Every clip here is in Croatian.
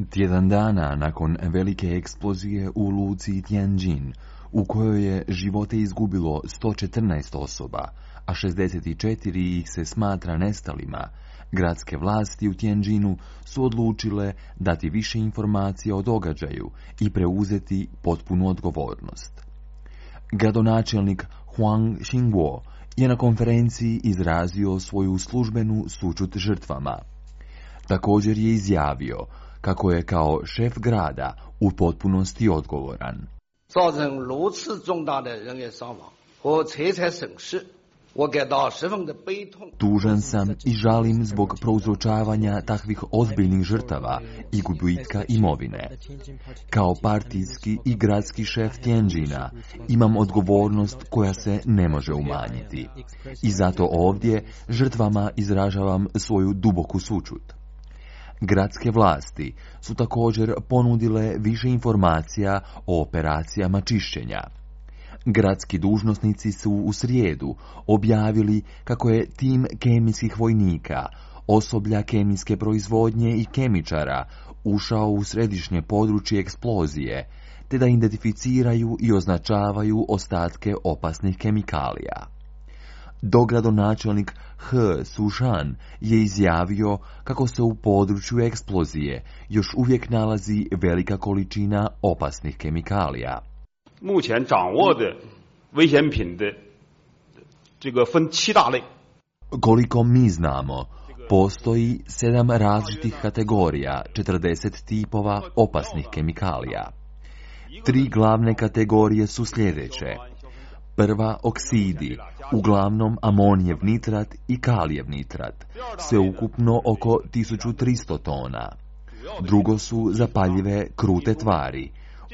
Tjedan dana nakon velike eksplozije u luci Tianjin, u kojoj je živote izgubilo 114 osoba, a 64 ih se smatra nestalima, gradske vlasti u Tianjinu su odlučile dati više informacija o događaju i preuzeti potpunu odgovornost. Gradonačelnik Huang Xingguo je na konferenciji izrazio svoju službenu sućut žrtvama. Također je izjavio kako je kao šef grada u potpunosti odgovoran. Tužan sam i žalim zbog prouzročavanja takvih ozbiljnih žrtava i gubitka imovine. Kao partijski i gradski šef Tianjina imam odgovornost koja se ne može umanjiti. I zato ovdje žrtvama izražavam svoju duboku sućut. Gradske vlasti su također ponudile više informacija o operacijama čišćenja. Gradski dužnosnici su u srijedu objavili kako je tim kemijskih vojnika, osoblja kemijske proizvodnje i kemičara ušao u središnje područje eksplozije, te da identificiraju i označavaju ostatke opasnih kemikalija. Dogradonačelnik He Sushan je izjavio kako se u području eksplozije još uvijek nalazi velika količina opasnih kemikalija. Koliko mi znamo, postoji 7 različitih kategorija, 40 tipova opasnih kemikalija. 3 glavne kategorije su sljedeće. Prva, oksidi, uglavnom amonijev nitrat i kalijev nitrat, sveukupno oko 1300 tona. Drugo su zapaljive krute tvari,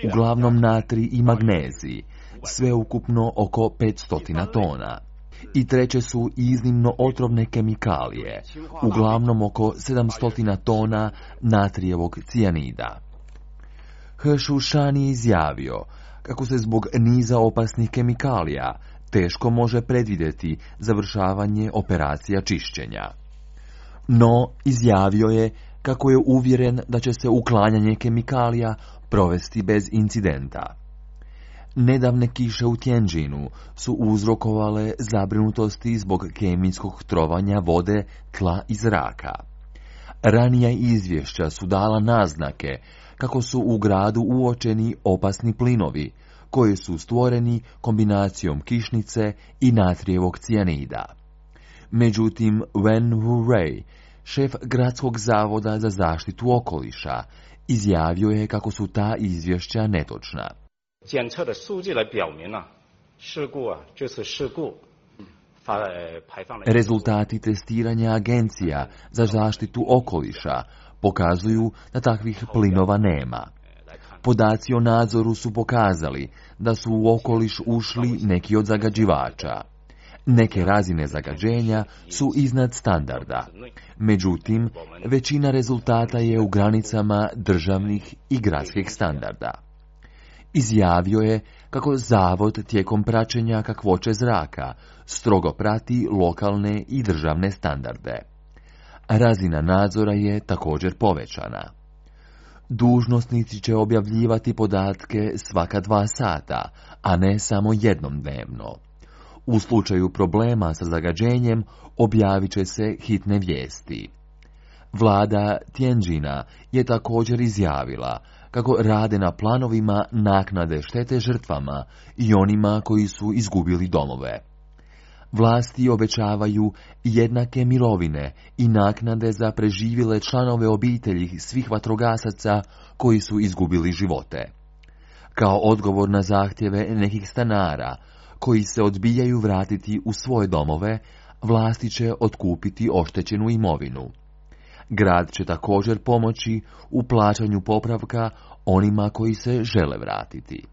uglavnom natrij i magnezij, sveukupno oko 500 tona. I treće su iznimno otrovne kemikalije, uglavnom oko 700 tona natrijevog cijanida. He Sushan je izjavio kako se zbog niza opasnih kemikalija teško može predvidjeti završavanje operacija čišćenja. No, izjavio je kako je uvjeren da će se uklanjanje kemikalija provesti bez incidenta. Nedavne kiše u Tianjinu su uzrokovale zabrinutosti zbog kemijskog trovanja vode, tla i zraka. Ranija izvješća su dala naznake kako su u gradu uočeni opasni plinovi, koji su stvoreni kombinacijom kišnice i natrijevog cijanida. Međutim, Wen Wurei, šef gradskog zavoda za zaštitu okoliša, izjavio je kako su ta izvješća netočna. Rezultati testiranja agencija za zaštitu okoliša pokazuju da takvih plinova nema. Podaci o nadzoru su pokazali da su u okoliš ušli neki od zagađivača. Neke razine zagađenja su iznad standarda. Međutim, većina rezultata je u granicama državnih i gradskih standarda. Izjavio je kako zavod tijekom praćenja kakvoće zraka strogo prati lokalne i državne standarde. Razina nadzora je također povećana. Dužnosnici će objavljivati podatke svaka 2 sata, a ne samo jednom dnevno. U slučaju problema sa zagađenjem objavit će se hitne vijesti. Vlada Tianjina je također izjavila kako rade na planovima naknade štete žrtvama i onima koji su izgubili domove. Vlasti obećavaju jednake mirovine i naknade za preživjele članove obitelji svih vatrogasaca koji su izgubili živote. Kao odgovor na zahtjeve nekih stanara koji se odbijaju vratiti u svoje domove, vlasti će otkupiti oštećenu imovinu. Grad će također pomoći u plaćanju popravka onima koji se žele vratiti.